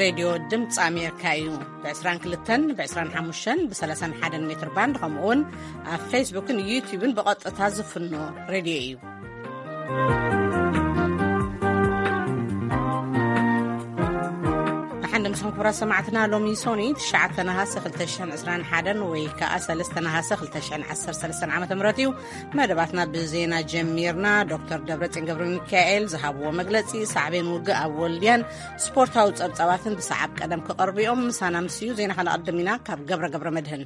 ሬድዮ ድምፂ ኣሜሪካ እዩ። ብ22፣ ብ25፣ ብ31 ሜትር ባንድ፣ ከምኡ እውን ኣብ ፌስቡክን ዩቲዩብን ብቐጥታ ዝፍኖ ሬድዮ እዩ። ብሓንደ ምስኹም ክቡራት ሰማዕትና፣ ሎሚ ሶኒ ትሽዓተ ነሃሰ ክልተ ሽሕን ዕስራን ሓደን ወይ ከዓ ሰለስተ ነሃሰ ክልተ ሽሕን ዓሰርተ ሰለስተን ዓመተ ምህረት እዩ። መደባትና ብዜና ጀሚርና። ዶክተር ደብረጽዮን ገብረ ሚካኤል ዝሃብዎ መግለጺ፣ ሳዕቤን ውግእ ኣብ ወልድያን ስፖርታዊ ጸብጻባትን ብሰዓብ ቀደም ክቐርቡ እዮም። ምሳና ምስዩ ዜና ከነቐድም ኢና። ካብ ገብረ ገብረ መድህን።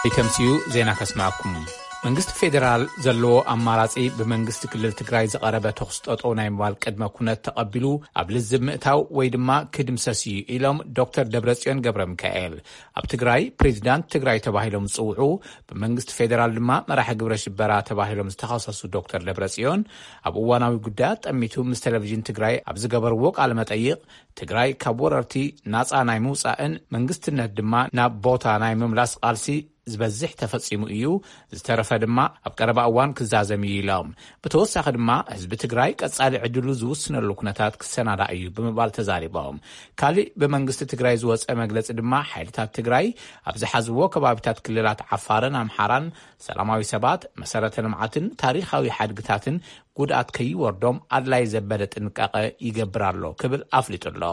ይተምስዩ ዜና ከስማዕኩም። መንግስቲ ፌዴራል ዘለዎ ኣማራጺ ብመንግስቲ ክልል ትግራይ ዝቐረበ ተኹስ ጠጠው ናይ ምባል ቅድመ ኩነት ተቐቢሉ ኣብ ልዝብ ምእታው ወይ ድማ ክድምሰስ እዩ ኢሎም ዶክተር ደብረጽዮን ገብረ ሚካኤል። ኣብ ትግራይ ፕሬዚዳንት ትግራይ ተባሂሎም ዝጽውዑ፣ ብመንግስቲ ፌዴራል ድማ መራሒ ግብረ ሽበራ ተባሂሎም ዝተኸሰሱ ዶክተር ደብረጽዮን፣ ኣብ እዋናዊ ጉዳያት ጠሚቱ ምስ ቴሌቪዥን ትግራይ ኣብ ዝገበርዎ ቃለ መጠይቕ፣ ትግራይ ካብ ወረርቲ ናጻ ናይ ምውጻእን መንግስትነት ድማ ናብ ቦታ ናይ ምምላስ ቃልሲ ዝበዝሕ ተፈጺሙ እዩ፣ ዝተረፈ ድማ ኣብ ቀረባ እዋን ክዛዘም እዩ ኢሎም። ብተወሳኺ ድማ ህዝቢ ትግራይ ቀጻሊ ዕድሉ ዝውስነሉ ኩነታት ክሰናዳ እዩ ብምባል ተዛሪቦም። ካሊእ ብመንግስቲ ትግራይ ዝወጸ መግለጺ ድማ፣ ሓይልታት ትግራይ ኣብ ዝሓዝዎ ከባቢታት ክልላት ዓፋርን ኣምሓራን ሰላማዊ ሰባት፣ መሰረተ ልምዓትን ታሪኻዊ ሓድግታትን ጉድኣት ከይወርዶም ኣድላይ ዘበለ ጥንቃቐ ይገብር ኣሎ ክብል ኣፍሊጡ ኣሎ።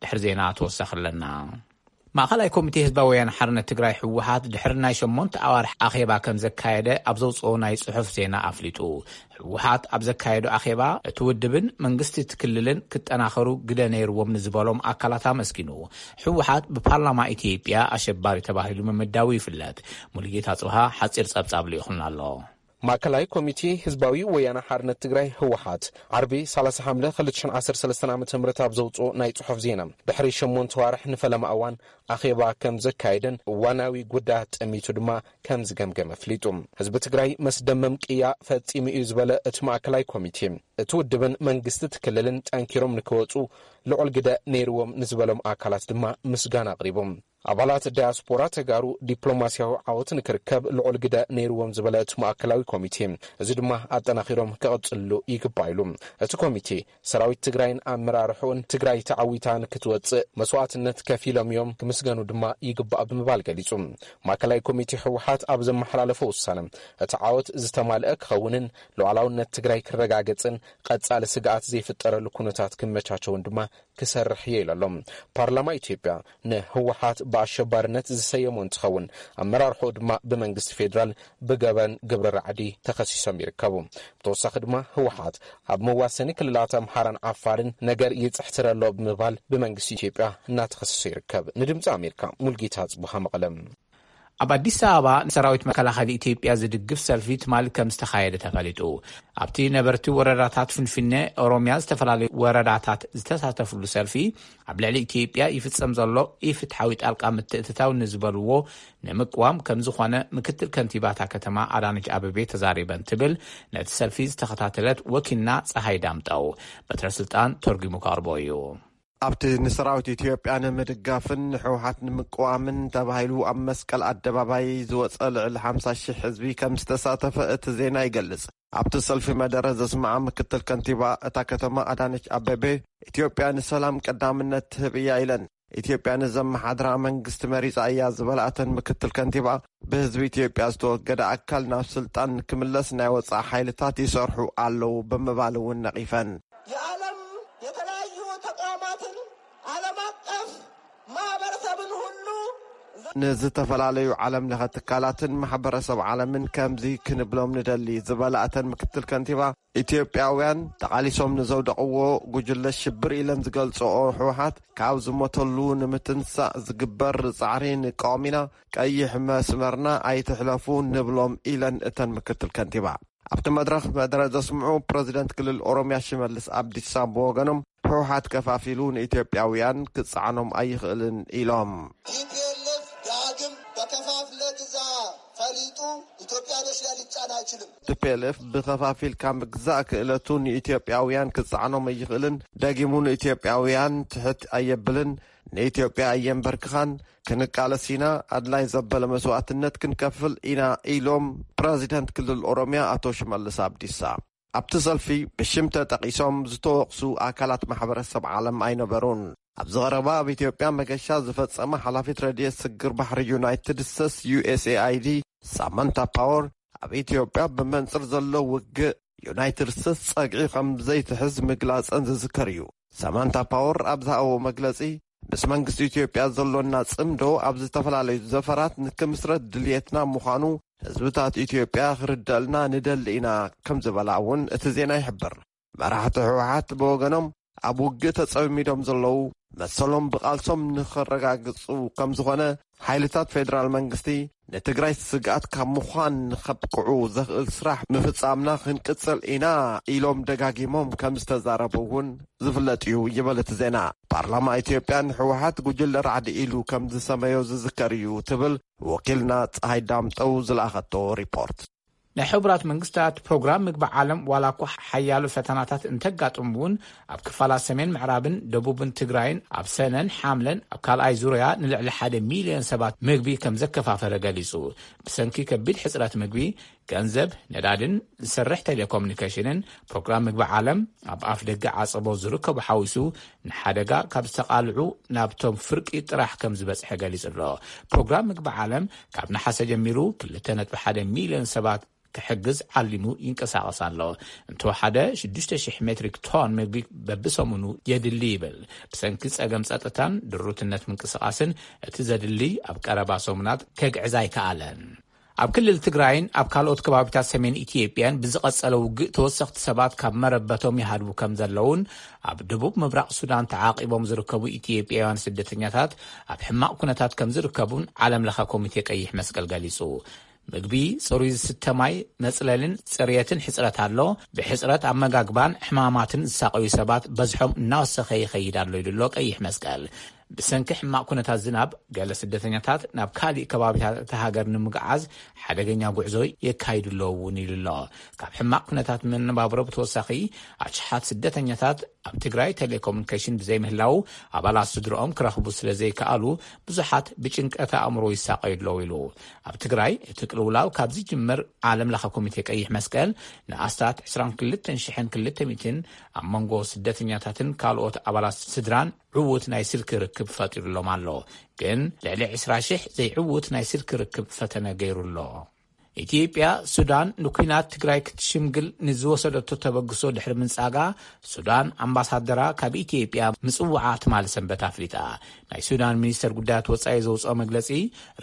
ድሕሪ ዜና ተወሳኺ ኣለና። ማእኸላይ ኮሚቴ ህዝባዊ ወያነ ሓርነት ትግራይ፣ ህወሓት፣ ድሕሪ ናይ ሸሞንተ ኣዋርሕ ኣኼባ ከም ዘካየደ ኣብ ዘውፅኦ ናይ ፅሑፍ ዜና ኣፍሊጡ። ህወሓት ኣብ ዘካየዶ ኣኼባ፣ እቲ ውድብን መንግስቲ እቲ ክልልን ክጠናኸሩ ግደ ነይርዎም ንዝበሎም ኣካላት ኣመስጊኑ። ህወሓት ብፓርላማ ኢትዮጵያ ኣሸባሪ ተባሂሉ ምምዳቡ ይፍለጥ። ሙሉጌታ ጽብሃ ሓፂር ጸብጻብ ልኢኹልና ኣሎ። ማእከላይ ኮሚቴ ህዝባዊ ወያነ ሓርነት ትግራይ፣ ህወሓት፣ ዓርቢ ሰላሳ ሓምለ ክልተ ሽሕን ዓሰርተ ሰለስተን ዓመተ ምህረት ኣብ ዘውፅኦ ናይ ጽሑፍ ዜና፣ ድሕሪ ሸሞንተ ዋርሕ ንፈለማ እዋን ኣኼባ ከም ዘካየደን እዋናዊ ጉዳያት ጠሚቱ ድማ ከም ዝገምገመ ኣፍሊጡ። ህዝቢ ትግራይ መስደመም ቅያ ፈጺሙ እዩ ዝበለ እቲ ማእከላይ ኮሚቴ፣ እቲ ውድብን መንግስቲ እቲ ክልልን ጠንኪሮም ንክወፁ ልዑል ግደ ነይርዎም ንዝበሎም ኣካላት ድማ ምስጋና ኣቕሪቡ። ኣባላት ዳያስፖራ ተጋሩ ዲፕሎማስያዊ ዓወት ንክርከብ ልዑል ግደ ነይርዎም ዝበለ እቲ ማእከላዊ ኮሚቴ፣ እዚ ድማ ኣጠናኺሮም ክቕጽልሉ ይግባእ ኢሉ። እቲ ኮሚቴ፣ ሰራዊት ትግራይን ኣመራርሕኡን ትግራይ ተዓዊታ ንክትወጽእ መስዋእትነት ከፊሎም እዮም፣ ክምስገኑ ድማ ይግባእ ብምባል ገሊጹ። ማእከላይ ኮሚቴ ህወሓት ኣብ ዘመሓላለፎ ውሳነ፣ እቲ ዓወት ዝተማልአ ክኸውንን ሉዓላውነት ትግራይ ክረጋገጽን ቀጻሊ ስግኣት ዘይፍጠረሉ ኩነታት ክመቻቸውን ድማ ክሰርሕ እየ ኢሉ ኣሎ። ፓርላማ ኢትዮጵያ ንህወሓት ብኣሸባርነት ዝሰየሞ እንትኸውን፣ ኣመራርሕኡ ድማ ብመንግስቲ ፌዴራል ብገበን ግብሪ ራዕዲ ተኸሲሶም ይርከቡ። ብተወሳኺ ድማ ህወሓት ኣብ መዋሰኒ ክልላት ኣምሓራን ዓፋርን ነገር ይፅሕትር ኣሎ ብምባል ብመንግስቲ ኢትዮጵያ እናተኸሰሰ ይርከብ። ንድምፂ ኣሜሪካ፣ ሙልጌታ ጽቡሃ፣ መቐለ። ኣብ ኣዲስ ኣበባ ንሰራዊት መከላኸሊ ኢትዮጵያ ዝድግፍ ሰልፊ ትማሊ ከም ዝተኻየደ ተፈሊጡ። ኣብቲ ነበርቲ ወረዳታት ፍንፍኔ ኦሮሚያ ዝተፈላለዩ ወረዳታት ዝተሳተፍሉ ሰልፊ፣ ኣብ ልዕሊ ኢትዮጵያ ይፍጸም ዘሎ ኢፍትሓዊ ጣልቃ ምትእትታው ንዝበልዎ ንምቅዋም ከም ዝኾነ ምክትል ከንቲባታ ከተማ ኣዳነች ኣበቤ ተዛሪበን ትብል ነቲ ሰልፊ ዝተኸታተለት ወኪልና ፀሃይ ዳምጠው። በትረ ስልጣን ተርጉሙ ከቕርቦ እዩ። ኣብቲ ንሰራዊት ኢትዮጵያ ንምድጋፍን ንህወሓት ንምቅዋምን ተባሂሉ ኣብ መስቀል ኣደባባይ ዝወጸ ልዕሊ ሓምሳ ሺሕ ህዝቢ ከም ዝተሳተፈ እቲ ዜና ይገልጽ። ኣብቲ ሰልፊ መደረ ዘስምዓ ምክትል ከንቲባ እታ ከተማ ኣዳነች ኣበቤ፣ ኢትዮጵያ ንሰላም ቀዳምነት ትህብ እያ ኢለን። ኢትዮጵያ ንዘመሓድራ መንግስቲ መሪጻ እያ ዝበላ እተን ምክትል ከንቲባ፣ ብህዝቢ ኢትዮጵያ ዝተወገደ ኣካል ናብ ስልጣን ክምለስ ናይ ወጻኢ ሓይልታት ይሰርሑ ኣለዉ ብምባል እውን ነቒፈን። የዓለም የተለያዩ ተቋማትን ዓለም አቀፍ ማህበረሰብን ሁሉ ንዝተፈላለዩ ዓለም ለኸ ትካላትን ማሕበረሰብ ዓለምን ከምዚ ክንብሎም ንደሊ ዝበላ እተን ምክትል ከንቲባ፣ ኢትዮጵያውያን ተቓሊሶም ንዘውደቕዎ ጉጅለ ሽብር ኢለን ዝገልጽኦ ህወሓት ካብ ዝሞተሉ ንምትንሳእ ዝግበር ጻዕሪ ንቃወም ኢና፣ ቀይሕ መስመርና ኣይትሕለፉ ንብሎም ኢለን እተን ምክትል ከንቲባ። ኣብቲ መድረኽ መደረ ዘስምዑ ፕረዚደንት ክልል ኦሮምያ ሽመልስ ኣብዲሳ ብወገኖም፣ ህወሓት ከፋፊሉ ንኢትዮጵያውያን ክጸዓኖም ኣይኽእልን ኢሎም። ቲፒኤልኤፍ ዳግም በከፋፍለ ግዛ ፈሊጡ ኢትዮጵያኖች ላይ ሊጫን አይችልም። ቲፒኤልኤፍ ብኸፋፊልካ ምግዛእ ክእለቱ ንኢትዮጵያውያን ክጸዓኖም ኣይኽእልን፣ ደጊሙ ንኢትዮጵያውያን ትሕት ኣየብልን፣ ንኢትዮጵያ ኣየንበርክኻን፣ ክንቃለስ ኢና፣ ኣድላይ ዘበለ መስዋእትነት ክንከፍል ኢና ኢሎም ፕረዚደንት ክልል ኦሮምያ ኣቶ ሽመልስ ኣብዲሳ። ኣብቲ ሰልፊ ብሽም ተጠቒሶም ዝተወቕሱ ኣካላት ማሕበረሰብ ዓለም ኣይነበሩን። ኣብዚ ቀረባ ኣብ ኢትዮጵያ መገሻ ዝፈጸመ ሓላፊት ረድኤት ስግር ባሕሪ ዩናይትድ ስቴትስ፣ ዩ ኤስ ኤ ኣይ ዲ፣ ሳማንታ ፓወር፣ ኣብ ኢትዮጵያ ብመንጽር ዘሎ ውግእ ዩናይትድ ስቴትስ ጸግዒ ከም ዘይትሕዝ ምግላጸን ዝዝከር እዩ። ሳማንታ ፓወር ኣብ ዝሃቦ መግለጺ፣ ምስ መንግስቲ ኢትዮጵያ ዘሎና ጽምዶ ኣብ ዝተፈላለዩ ዘፈራት ንክምስረት ድልየትና ምዃኑ ህዝብታት ኢትዮጵያ ክርደልና ንደሊ ኢና ከም ዝበላ እውን እቲ ዜና ይሕብር። መራሕቲ ህወሓት ብወገኖም፣ ኣብ ውግእ ተጸሚዶም ዘለዉ መሰሎም ብቓልሶም ንኸረጋግጹ ከም ዝኾነ፣ ሓይልታት ፌደራል መንግስቲ ንትግራይ ስግኣት ካብ ምዃን ንኸብቅዑ ዘኽእል ስራሕ ምፍጻምና ክንቅጽል ኢና ኢሎም ደጋጊሞም ከም ዝተዛረቡ እውን ዝፍለጥ እዩ ይበል እቲ ዜና። ፓርላማ ኢትዮጵያ ንህወሓት ጉጅለ ራዕዲ ኢሉ ከም ዝሰመዮ ዝዝከር እዩ ትብል ወኪልና ፀሃይ ዳምጠው ዝለኣኸቶ ሪፖርት። ናይ ሕቡራት መንግስታት ፕሮግራም ምግቢ ዓለም ዋላ እኳ ሓያሎ ፈተናታት እንተጋጥሙ እውን፣ ኣብ ክፋላት ሰሜን ምዕራብን ደቡብን ትግራይን ኣብ ሰነን ሓምለን ኣብ ካልኣይ ዙርያ ንልዕሊ ሓደ ሚልዮን ሰባት ምግቢ ከም ዘከፋፈለ ገሊጹ። ብሰንኪ ከቢድ ሕጽረት ምግቢ፣ ገንዘብ፣ ነዳድን ዝሰርሕ ቴሌኮሙኒኬሽንን፣ ፕሮግራም ምግቢ ዓለም ኣብ ኣፍ ደገ ዓጸቦ ዝርከቡ ሓዊሱ ንሓደጋ ካብ ዝተቓልዑ ናብቶም ፍርቂ ጥራሕ ከም ዝበጽሐ ገሊጹ ኣሎ። ፕሮግራም ምግቢ ዓለም ካብ ነሓሰ ጀሚሩ ክልተ ነጥቢ ሓደ ሚልዮን ሰባት ክሕግዝ ዓሊሙ ይንቀሳቐስ ኣሎ። እንተወሓደ ሽዱሽተ ሽሕ ሜትሪክ ቶን ምግቢ በብሰሙኑ የድሊ ይብል። ብሰንኪ ጸገም ጸጥታን ድሩትነት ምንቅስቓስን እቲ ዘድሊ ኣብ ቀረባ ሰሙናት ከግዕዝ ኣይከኣለን። ኣብ ክልል ትግራይን ኣብ ካልኦት ከባቢታት ሰሜን ኢትዮጵያን ብዝቐጸለ ውግእ ተወሰኽቲ ሰባት ካብ መረበቶም ይሃድሙ ከም ዘለውን፣ ኣብ ደቡብ ምብራቕ ሱዳን ተዓቒቦም ዝርከቡ ኢትዮጵያውያን ስደተኛታት ኣብ ሕማቕ ኩነታት ከም ዝርከቡን ዓለም ለኸ ኮሚቴ ቀይሕ መስቀል ገሊጹ። ምግቢ፣ ጽሩይ ዝስተ ማይ፣ መጽለልን ጽርየትን ሕጽረት ኣሎ። ብሕጽረት ኣመጋግባን ሕማማትን ዝሳቐዩ ሰባት በዝሖም እናወሰኸ ይኸይድ ኣሎ ኢሉ ኣሎ ቀይሕ መስቀል። ብሰንኪ ሕማቕ ኩነታት ዝናብ፣ ገለ ስደተኛታት ናብ ካሊእ ከባቢታት እታ ሃገር ንምግዓዝ ሓደገኛ ጉዕዞ የካይዱ ኣለዉ እውን ኢሉ ኣሎ። ካብ ሕማቕ ኩነታት መነባብሮ ብተወሳኺ፣ ኣሽሓት ስደተኛታት ኣብ ትግራይ ቴሌኮሙኒኬሽን ብዘይምህላዉ፣ ኣባላት ስድርኦም ክረኽቡ ስለ ዘይከኣሉ፣ ብዙሓት ብጭንቀት ኣእምሮ ይሳቐዩ ኣለዉ ኢሉ። ኣብ ትግራይ እቲ ቅልውላው ካብ ዝጅምር፣ ዓለም ለኸ ኮሚቴ ቀይሕ መስቀል ንኣስታት ዕስራን ክልተን ሽሕን ክልተ ሚእትን ኣብ መንጎ ስደተኛታትን ካልኦት ኣባላት ስድራን ዕዉት ናይ ስልኪ ርክብ ፈጢሩሎም ኣሎ። ግን ልዕሊ ዕስራ ሽሕ ዘይዕዉት ናይ ስልኪ ርክብ ፈተነ ገይሩ ኣሎ። ኢትዮጵያ፣ ሱዳን ንኲናት ትግራይ ክትሽምግል ንዝወሰደቶ ተበግሶ ድሕሪ ምንጻጋ፣ ሱዳን ኣምባሳደራ ካብ ኢትዮጵያ ምጽውዓ ትማሊ ሰንበት ኣፍሊጣ። ናይ ሱዳን ሚኒስተር ጉዳያት ወጻኢ ዘውጽኦ መግለጺ፣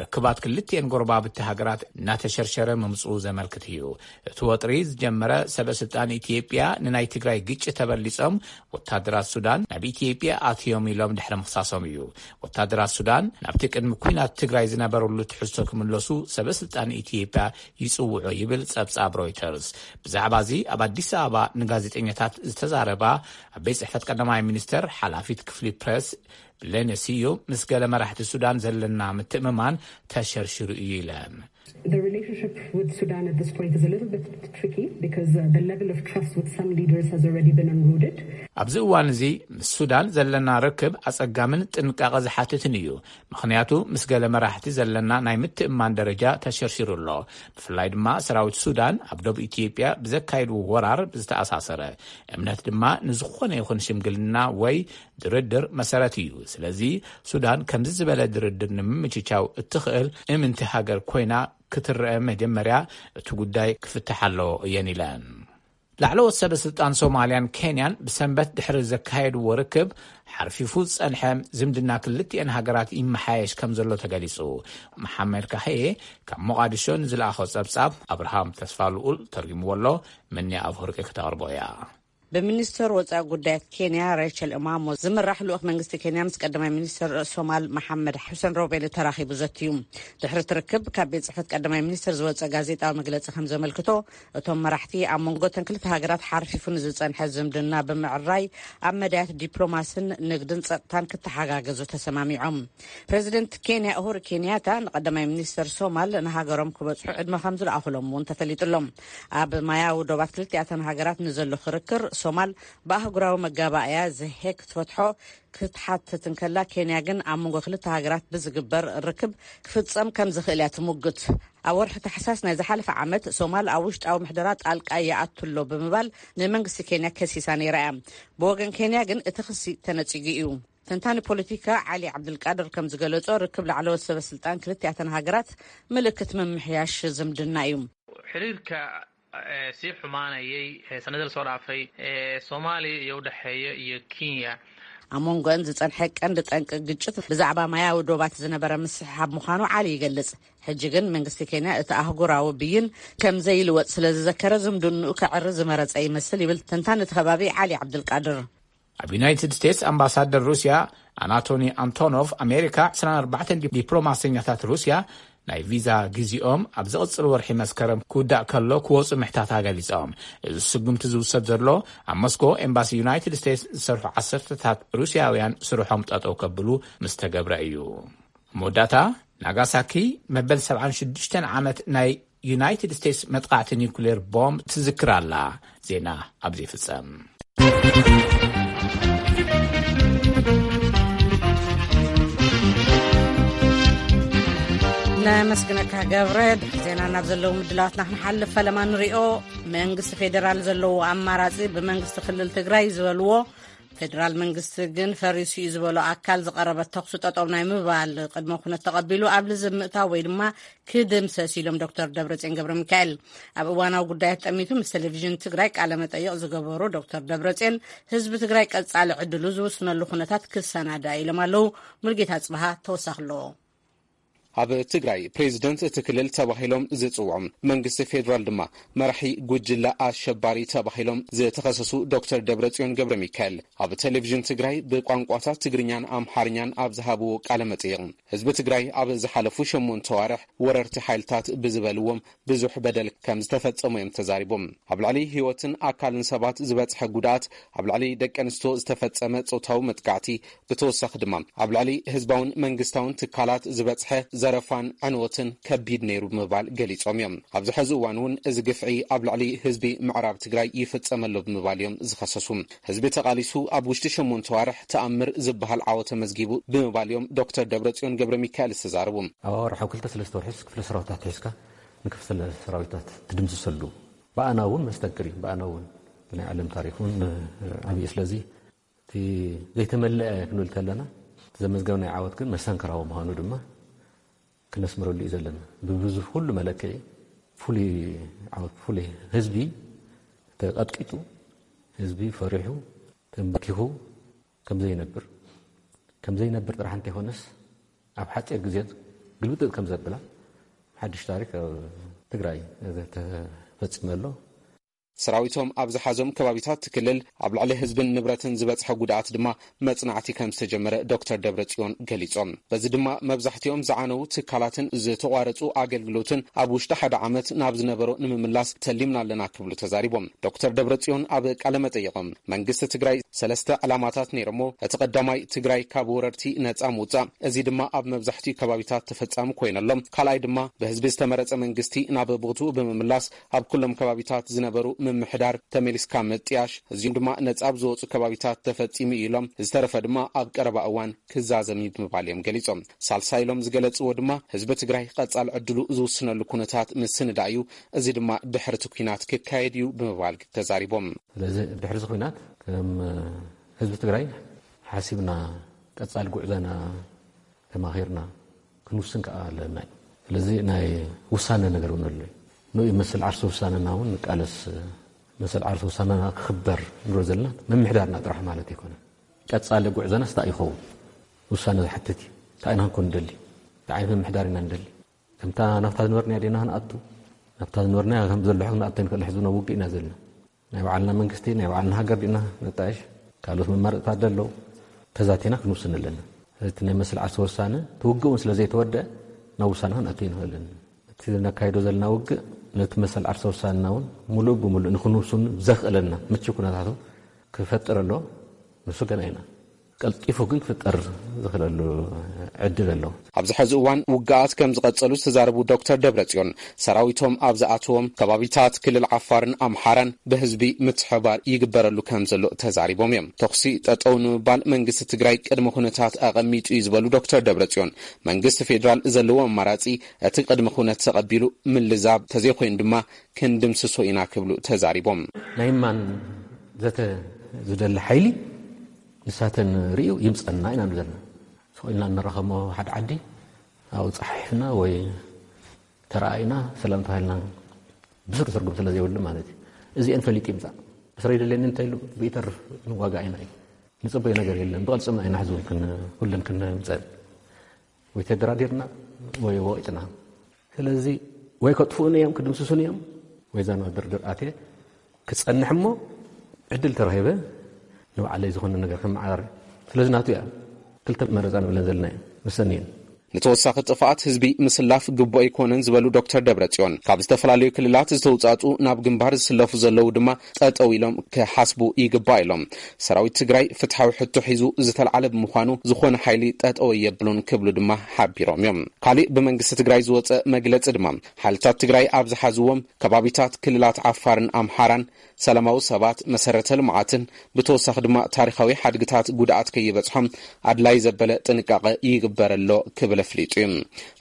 ርክባት ክልቲኤን ጎረባብቲ ሃገራት እናተሸርሸረ ምምጽኡ ዘመልክት እዩ። እቲ ወጥሪ ዝጀመረ ሰበ ስልጣን ኢትዮጵያ ንናይ ትግራይ ግጭት ተበሊጾም ወታደራት ሱዳን ናብ ኢትዮጵያ ኣትዮም ኢሎም ድሕሪ ምኽሳሶም እዩ። ወታደራት ሱዳን ናብቲ ቅድሚ ኲናት ትግራይ ዝነበረሉ ትሕዝቶ ክምለሱ ሰበ ስልጣን ኢትዮጵያ ይጽውዑ ይብል ጸብጻብ ሮይተርስ። ብዛዕባ እዚ ኣብ ኣዲስ ኣበባ ንጋዜጠኛታት ዝተዛረባ ኣብ ቤት ጽሕፈት ቀዳማይ ሚኒስተር ሓላፊት ክፍሊ ፕረስ ብሌነ ስዩም፣ ምስ ገለ መራሕቲ ሱዳን ዘለና ምትእምማን ተሸርሽሩ እዩ ኢለን። The relationship with Sudan at this point is a little bit tricky because uh, the level of trust with some leaders has already been eroded. ኣብዚ እዋን እዚ ምስ ሱዳን ዘለና ርክብ ኣጸጋምን ጥንቃቐ ዝሓትትን እዩ። ምኽንያቱ ምስ ገለ መራሕቲ ዘለና ናይ ምትእምማን ደረጃ ተሸርሺሩ ኣሎ። ብፍላይ ድማ ሰራዊት ሱዳን ኣብ ደቡብ ኢትዮጵያ ብዘካየድዎ ወራር ዝተኣሳሰረ። እምነት ድማ ንዝኾነ ይኹን ሽምግልና ወይ ድርድር መሰረት እዩ። ስለዚ ሱዳን ከምዚ ዝበለ ድርድር ንምምችቻው እትኽእል እምንቲ ሃገር ኮይና ክትረአ መጀመርያ እቲ ጉዳይ ክፍታሕ ኣለዎ እየን ኢለን። ላዕለዎት ሰበ ስልጣን ሶማልያን ኬንያን ብሰንበት ድሕሪ ዘካየድዎ ርክብ ሓርፊፉ ዝጸንሐ ዝምድና ክልቲኤን ሃገራት ይመሓየሽ ከም ዘሎ ተገሊጹ። መሓመድ ካህኤ ካብ ሞቓዲሾ ንዝለኣኾ ጸብጻብ ኣብርሃም ተስፋ ልኡል ተርጉምዎ ኣሎ። መኒ ኣብ ህርቂ ክተቕርቦ እያ። ብሚኒስተር ወፃኢ ጉዳያት ኬንያ ሬቸል እማሞ ዝምራሕ ልኡኽ መንግስቲ ኬንያ ምስ ቀዳማይ ሚኒስተር ሶማል መሓመድ ሑሰን ሮቤል ተራኺቡ ዘትዩ። ድሕሪ እቲ ርክብ ካብ ቤት ፅሕፈት ቀዳማይ ሚኒስተር ዝወፀ ጋዜጣዊ መግለፂ ከም ዘመልክቶ፣ እቶም መራሕቲ ኣብ መንጎ እተን ክልተ ሃገራት ሓርፊፉ ንዝፀንሐ ዝምድና ብምዕራይ ኣብ መዳያት ዲፕሎማስን ንግድን ፀጥታን ክተሓጋገዙ ተሰማሚዖም። ፕረዚደንት ኬንያ ኡሁሩ ኬንያታ ንቀዳማይ ሚኒስተር ሶማል ንሃገሮም ክበፅሑ ዕድመ ከም ዝለኣኹሎም እውን ተፈሊጡሎም። ኣብ ማያዊ ዶባት ክልቲኣተን ሃገራት ንዘሎ ክርክር ሶማል ብኣህጉራዊ መጋባእያ ዘሄግ ክትፈትሖ ክትሓትት እንከላ፣ ኬንያ ግን ኣብ መንጎ ክልተ ሃገራት ብዝግበር ርክብ ክፍጸም ከም ዝኽእል እያ ትሙግት። ኣብ ወርሒ ታሕሳስ ናይ ዝሓለፈ ዓመት፣ ሶማል ኣብ ውሽጣዊ ምሕደራ ጣልቃ ይኣቱ ኣሎ ብምባል ንመንግስቲ ኬንያ ከሲሳ ነይራ እያ። ብወገን ኬንያ ግን እቲ ክሲ ተነጺጉ እዩ። ተንታኒ ፖለቲካ ዓሊ ዓብድልቃድር ከም ዝገለጾ፣ ርክብ ላዕለዎት ሰበ ስልጣን ክልቲኣተን ሃገራት ምልክት ምምሕያሽ ዝምድና እዩ። Xiriirka sii xumaanayay sanadada soo dhaafay ee Soomaaliya iyo u dhexeeya iyo Kenya. ኣብ መንጎን ዝጸንሐ ቀንዲ ጠንቂ ግጭት ብዛዕባ ማያዊ ዶባት ዝነበረ ምስሕሓብ ምዃኑ ዓሊ ይገልጽ። ሕጂ ግን መንግስቲ ኬንያ እቲ ኣህጉራዊ ብይን ከም ዘይልወጥ ስለ ዝዘከረ፣ ዝምድንኡ ከዕሪ ዝመረጸ ይመስል ይብል ተንታኒ እቲ ከባቢ ዓሊ ዓብድልቃድር። ኣብ ዩናይትድ ስቴትስ ኣምባሳደር ሩስያ ኣናቶኒ ኣንቶኖቭ፣ ኣሜሪካ ዕስራን ኣርባዕተን ዲፕሎማሰኛታት ሩስያ ናይ ቪዛ ግዜኦም ኣብ ዝቕጽል ወርሒ መስከረም ክውዳእ ከሎ ክወጹ ምሕታታ ገሊጾም። እዚ ስጉምቲ ዝውሰድ ዘሎ ኣብ ሞስኮ ኤምባሲ ዩናይትድ ስቴትስ ዝሰርሑ ዓሰርተታት ሩስያውያን ስርሖም ጠጠው ከብሉ ምስ ተገብረ እዩ። መወዳእታ፣ ናጋሳኪ መበል ሰብዓን ሽዱሽተን ዓመት ናይ ዩናይትድ ስቴትስ መጥቓዕቲ ኒውክሌር ቦምብ ትዝክር ኣላ። ዜና ኣብ ዘይፍጸም። ነመስግነካ ገብረ። ድሕሪ ዜና ናብ ዘለዉ ምድላዋትና ክንሓልፍ ፈለማ ንሪኦ። መንግስቲ ፌዴራል ዘለዎ ኣማራጺ ብመንግስቲ ክልል ትግራይ ዝበልዎ፣ ፌዴራል መንግስቲ ግን ፈሪሱ እዩ ዝበሎ ኣካል ዝቐረበ ተኹሲ ጠጠው ናይ ምባል ቅድመ ኩነት ተቐቢሉ ኣብ ልዝብ ምእታው ወይ ድማ ክድምሰስ ኢሎም ዶክተር ደብረጽዮን ገብረ ሚካኤል። ኣብ እዋናዊ ጉዳያት ጠሚቱ ምስ ቴሌቪዥን ትግራይ ቃለ መጠይቕ ዝገበሩ ዶክተር ደብረጽዮን፣ ህዝቢ ትግራይ ቀጻሊ ዕድሉ ዝውስነሉ ኩነታት ክሰናዳ ኢሎም ኣለዉ። ሙልጌታ ጽብሃ ተወሳኺ ኣለዎ። ኣብ ትግራይ ፕሬዝደንት እቲ ክልል ተባሂሎም ዝጽውዑ፣ መንግስቲ ፌዴራል ድማ መራሒ ጉጅለ ኣሸባሪ ተባሂሎም ዝተኸሰሱ ዶክተር ደብረጽዮን ገብረ ሚካኤል፣ ኣብ ቴሌቪዥን ትግራይ ብቋንቋታት ትግርኛን ኣምሓርኛን ኣብ ዝሃብዎ ቃለ መጠይቕ፣ ህዝቢ ትግራይ ኣብ ዝሓለፉ ሸሞንተ ዋርሕ ወረርቲ ሓይልታት ብዝበልዎም ብዙሕ በደል ከም ዝተፈጸሙ እዮም ተዛሪቦም። ኣብ ልዕሊ ህይወትን ኣካልን ሰባት ዝበጽሐ ጉድኣት፣ ኣብ ልዕሊ ደቂ ኣንስትዮ ዝተፈጸመ ጾታዊ መጥቃዕቲ፣ ብተወሳኺ ድማ ኣብ ልዕሊ ህዝባውን መንግስታውን ትካላት ዝበጽሐ ዘረፋን ዕንወትን ከቢድ ነይሩ ብምባል ገሊጾም እዮም። ኣብዚ ሕዚ እዋን እውን እዚ ግፍዒ ኣብ ልዕሊ ህዝቢ ምዕራብ ትግራይ ይፍጸም ኣሎ ብምባል እዮም ዝኸሰሱ። ህዝቢ ተቓሊሱ ኣብ ውሽጢ ሸሞንተ ዋርሕ ተኣምር ዝበሃል ዓወት ተመዝጊቡ ብምባል እዮም ዶክተር ደብረጽዮን ገብረ ሚካኤል ዝተዛረቡ። ኣብ ኣዋርሕ ኣብ ክልተ ሰለስተ ወርሒስ ክፍለ ሰራዊታት ሒዝካ ንክፍለ ሰራዊታት ትድምስሰሉ ብኣና እውን መስተንክር እዩ። ብኣና እውን ብናይ ዓለም ታሪክ እውን ዓብዪ። ስለዚ እቲ ዘይተመለአ ክንብል ከለና እቲ ዘመዝገብናዮ ዓወት ግን መስተንክራዊ ምዃኑ ድማ ክነስምረሉ እዩ ዘለና። ብብዙ ኩሉ መለክዒ ፍሉይ ዓወት፣ ፍሉይ ህዝቢ ተቐጥቂጡ፣ ህዝቢ ፈሪሑ ተንበርኪኹ ከም ዘይነብር፣ ከም ዘይነብር ጥራሕ እንተይኮነስ ኣብ ሓፂር ግዜ ግልብጥጥ ከም ዘብላ ሓድሽ ታሪክ ኣብ ትግራይ ተፈፂመ ኣሎ። ሰራዊቶም ኣብ ዝሓዞም ከባቢታት ክልል ኣብ ልዕሊ ህዝብን ንብረትን ዝበፅሐ ጉድኣት ድማ መፅናዕቲ ከም ዝተጀመረ ዶክተር ደብረፅዮን ገሊፆም። በዚ ድማ መብዛሕትኦም ዝዓነዉ ትካላትን ዝተቋረፁ ኣገልግሎትን ኣብ ውሽጢ ሓደ ዓመት ናብ ዝነበሮ ንምምላስ ተሊምና ኣለና ክብሉ ተዛሪቦም። ዶክተር ደብረፅዮን ኣብ ቃለ መጠይቖም፣ መንግስቲ ትግራይ ሰለስተ ዕላማታት ነይሮሞ። እቲ ቀዳማይ ትግራይ ካብ ወረርቲ ነፃ ምውፃእ፣ እዚ ድማ ኣብ መብዛሕትኡ ከባቢታት ተፈፃሚ ኮይነሎም። ካልኣይ ድማ ብህዝቢ ዝተመረፀ መንግስቲ ናብ ቦትኡ ብምምላስ ኣብ ኩሎም ከባቢታት ዝነበሩ ምምሕዳር ተመሊስካ ምጥያሽ፣ እዚኦም ድማ ነፃ ኣብ ዝወፁ ከባቢታት ተፈፂሙ እዩ ኢሎም። ዝተረፈ ድማ ኣብ ቀረባ እዋን ክዛዘም እዩ ብምባል እዮም ገሊፆም። ሳልሳይ ኢሎም ዝገለፅዎ ድማ ህዝቢ ትግራይ ቀፃሊ ዕድሉ ዝውስነሉ ኩነታት ምስንዳእ እዩ። እዚ ድማ ድሕሪ እቲ ኲናት ክካየድ እዩ ብምባል ተዛሪቦም። ስለዚ ድሕሪ እዚ ኲናት ከም ህዝቢ ትግራይ ሓሲብና ቀፃሊ ጉዕዞና ተማኺርና ክንውስን ከዓ ኣለና እዩ። ስለዚ ናይ ውሳነ ነገር እውን ኣሎ እዩ። ንኡ መሰል ዓርሲ ውሳነና እውን ንቃለስ። መሰል ዓርሲ ውሳነና ክኽበር ንብሎ ዘለና ምምሕዳርና ጥራሕ ማለት ኣይኮነን። ቀፃሊ ጉዕዞናስ እንታይ ይኸውን? ውሳነ ዝሓትት እዩ። እንታይ ኢና ክንኮን ንደሊ? እንታይ ዓይነት ምምሕዳር ኢና ንደሊ? ከምታ ናብታ ዝነበርናያ ዲና ክንኣቱ? ናብታ ዝነበርናያ ከም ዘሎ ክንኣቱ ንክእል ሕዚ ናብ ውግእ ኢና ዘለና። ናይ ባዕልና መንግስቲ፣ ናይ ባዕልና ሃገር ዲና ነጣይሽ? ካልኦት መማረፅታት ደለው። ተዛቲና ክንውስን ኣለና። እቲ ናይ መሰል ዓርሲ ውሳነ እቲ ውግእ እውን ስለ ዘይተወደአ ናብ ውሳነ ክንኣቱ ይንኽእልን። እቲ ነካይዶ ዘለና ውግእ ነቲ መሰል ዓርሲ ውሳነና እውን ሙሉእ ብሙሉእ ንክንውስኑ ዘኽእለና ምቹ ኩነታቱ ክፈጥር ኣሎ። ንሱ ገና ኢና ቀልጢፉ ግን ክፍጠር ዝኽእለሉ ዕድል ኣሎ። ኣብዚ ሕዚ እዋን ውግኣት ከም ዝቐጸሉ ዝተዛረቡ ዶክተር ደብረጽዮን፣ ሰራዊቶም ኣብ ዝኣተዎም ከባቢታት ክልል ዓፋርን ኣምሓራን ብህዝቢ ምትሕባር ይግበረሉ ከም ዘሎ ተዛሪቦም እዮም። ተኹሲ ጠጠው ንምባል መንግስቲ ትግራይ ቅድመ ኩነታት ኣቐሚጡ እዩ ዝበሉ ዶክተር ደብረጽዮን፣ መንግስቲ ፌዴራል ዘለዎ ኣማራጺ እቲ ቅድመ ኩነት ተቐቢሉ ምልዛብ፣ ተዘይኮይኑ ድማ ክንድምስሶ ኢና ክብሉ ተዛሪቦም። ናይ ማን ዘተ ዝደሊ ሓይሊ ንሳተን ርእዩ ይምጸና ኢና ንብል ዘለና። ስቕ ኢልና እንራኸሞ ሓደ ዓዲ ኣብኡ ጸሓሒፍና ወይ ተረኣኢና ሰላም ተባሂልና ብስሩ ትርጉም ስለ ዘይብሉ ማለት እዩ። እዚአን ፈሊጡ ይምጻእ። እስረ ይደልየኒ እንተኢሉ ብኢተርፍ ንዋጋእ ኢና እዩ። ንጽበዮ ነገር የለን። ብቐልጽምና ኢና ሕዚ እውን ክን-፣ ኩለን ክንምጸን ወይ ተደራዲርና ወይ ወቒጥና። ስለዚ ወይ ከጥፍኡን እዮም፣ ክድምስሱን እዮም፣ ወይ እዛ ናብ ድርድር ኣትየ ክጸንሕ እሞ ዕድል ተረኺበ ንባዕለይ ዝኾነ ነገር ከመዓራሪ። ስለዚ ናቱ እያ። ክልተ መረጻ ንብለን ዘለና እየን፣ መሰኒ እየን። ንተወሳኺ ጥፍኣት ህዝቢ ምስላፍ ግቡእ ኣይኮነን ዝበሉ ዶክተር ደብረጽዮን፣ ካብ ዝተፈላለዩ ክልላት ዝተውጻጹ ናብ ግንባር ዝስለፉ ዘለዉ ድማ ጠጠው ኢሎም ክሓስቡ ይግባእ ኢሎም። ሰራዊት ትግራይ ፍትሓዊ ሕቶ ሒዙ ዝተልዓለ ብምዃኑ ዝኾነ ሓይሊ ጠጠው የብሉን ክብሉ ድማ ሓቢሮም እዮም። ካሊእ ብመንግስቲ ትግራይ ዝወጸ መግለጺ ድማ፣ ሓይልታት ትግራይ ኣብ ዝሓዝዎም ከባቢታት ክልላት ዓፋርን ኣምሓራን ሰላማዊ ሰባት፣ መሰረተ ልምዓትን ብተወሳኺ ድማ ታሪኻዊ ሓድግታት ጉድኣት ከይበጽሖም ኣድላይ ዘበለ ጥንቃቐ ይግበረሎ ክብል ኣፍሊጡ እዩ።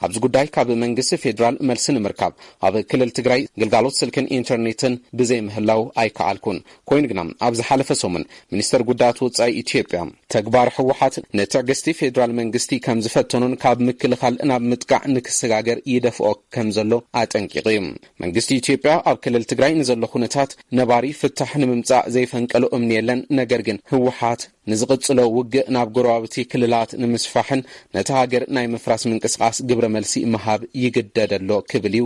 ኣብዚ ጉዳይ ካብ መንግስቲ ፌዴራል መልሲ ንምርካብ ኣብ ክልል ትግራይ ግልጋሎት ስልክን ኢንተርኔትን ብዘይምህላው ኣይከኣልኩን። ኮይኑ ግና ኣብ ዝሓለፈ ሰሙን ሚኒስተር ጉዳያት ወጻኢ ኢትዮጵያ፣ ተግባር ህወሓት ንትዕግስቲ ፌዴራል መንግስቲ ከም ዝፈተኖን ካብ ምክልኻል ናብ ምጥቃዕ ንክሰጋገር ይደፍኦ ከም ዘሎ ኣጠንቂቑ እዩ። መንግስቲ ኢትዮጵያ ኣብ ክልል ትግራይ ንዘሎ ኩነታት ነባሪ ፍታሕ ንምምጻእ ዘይፈንቀሎ እምኒ የለን፣ ነገር ግን ህወሓት ንዝቕጽሎ ውግእ ናብ ጎረባብቲ ክልላት ንምስፋሕን ነቲ ሃገር ናይ ምፍራስ ምንቅስቓስ ግብረ መልሲ ምሃብ ይግደድ ኣሎ ክብል እዩ